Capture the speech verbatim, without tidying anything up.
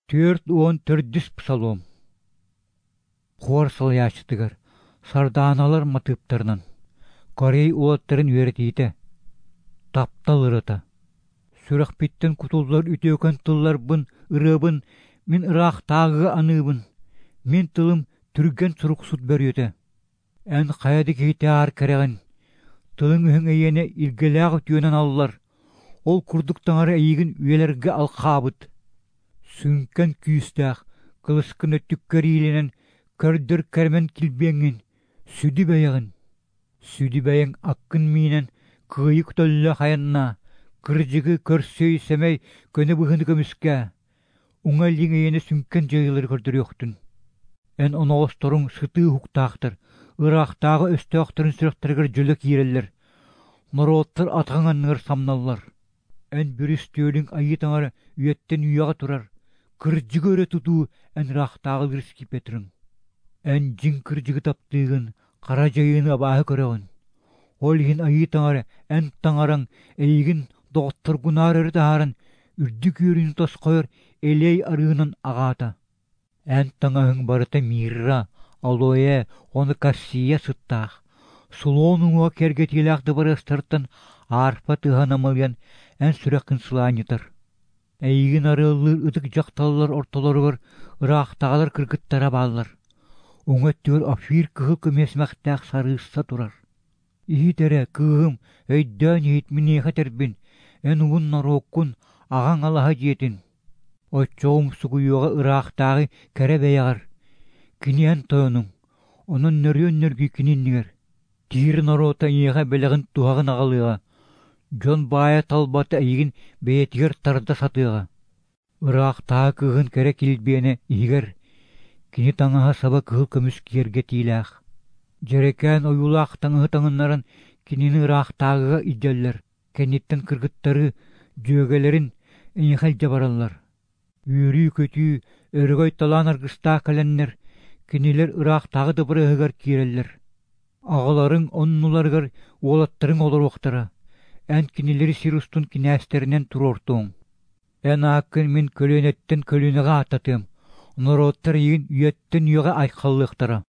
Түөрт уон төрдүс псалом. Хуор салайааччытыгар Сардааналар матыыптарынан Корей уолаттарын үөрэтиитэ. Таптал ырыата. Сүрэхпиттэн кутуллар үтүөкэн тылларбын, ырыабын мин ыраахтааҕыга аныыбын. Мин тылым түргэн суруксут бөрүөтэ. Эн хайа да киһитээҕэр кэрэҕин, тылыҥ-өһүҥ эйиэнэ илгэлээх үтүөнэн аллар, ол курдук Таҥара эйигин үйэлэргэ алхаабыт. Сүҥкэн күүстээх, кылыскын өттүккэр иилинэн көрдөр кэрэмэн килбиэҥҥин, сүдү бэйэҕин. Сүдү бэйэҥ аккын миинэн кыайыы көтөллөөх айаннаа, кырдьыгы, көрсүөй, сэмэй, көнө быһыыны көмүскээ. Уҥа илииҥ эйиэнэ сүҥкэн дьайыылары көрдөрүөхтүн. Эн оноҕосторуҥ сытыы уһуктаахтар, ыраахтааҕы өстөөхтөрүн сүрэхтэригэр дьөлө киирэллэр, норуоттар атаҕыҥ анныгар самналлар. Эн бүрүстүөлүҥ Айыы Таҥара үйэттэн үйэҕэ турар, кырдьыгы өрө тутуу эн ыраахтааҕылыыр скипетрыҥ. Эн дьиҥ кырдьыгы таптыыгын, хара дьайыыны абааһы көрөҕүн. Ол иһин Айыы Таҥара эн Таҥараҥ эйигин доҕотторгунаар өрө таһааран, үрдүк үөрүүнү тосхойор элиэй арыынан аҕаата. Эн таҥаһыҥ барыта мирра, алоэ уонна кассия сыттаах, слон уҥуоҕа киэргэтиилээх дыбарыастартан арфа тыаһа намылыйан эн сүрэххин сылаанньытар. Эйигин арыаллыыр ытык дьахталлар ортолоругар ыраахтааҕылар кыргыттара бааллар. Уҥа өттүгэр Офир кыһыл көмүс симэхтээх сарыысса турар. Иһит эрэ, кыыһым, өйдөөн иһит миниэхэ этэрбин, эн уһун норуоккун, аҕаҥ алаһа дьиэтин. Оччоҕо умсугуйуоҕа ыраахтааҕы кэрэ бэйэҕэр. Кини эн тойонуҥ, онон нөрүөн нөргүй кини иннигэр. Тиир норуота эйиэхэ бэлэҕин туһаҕын аҕалыаҕа, дьон баайа талбата эйигин бэйэтигэр тарда сатыаҕа. Ыраахтааҕы кыыһын кэрэ килбиэнэ иһигэр, кини таҥаһа-саба кыһыл көмүс киэргэтиилээх. Дьэрэкээн ойуулаах таҥаһы таҥыннаран кинини ыраахтааҕыга илдьэллэр, кэнниттэн кыргыттары, дьүөгэлэрин эйиэхэ илдьэ бараллар. Үөрүү-көтүү, өрөгөй-талаан аргыстаах кэлэннэр, кинилэр ыраахтааҕы дыбарыаһыгар киирэллэр. Аҕаларыҥ оннуларыгар уолаттарыҥ олоруохтара, эн кинилэри сир устун кинээстэринэн туруортуоҥ. Эн ааккын мин көлүөнэттэн көлүөнэҕэ ааттатыам, норуоттар эйигин үйэттэн үйэҕэ айхаллыахтара.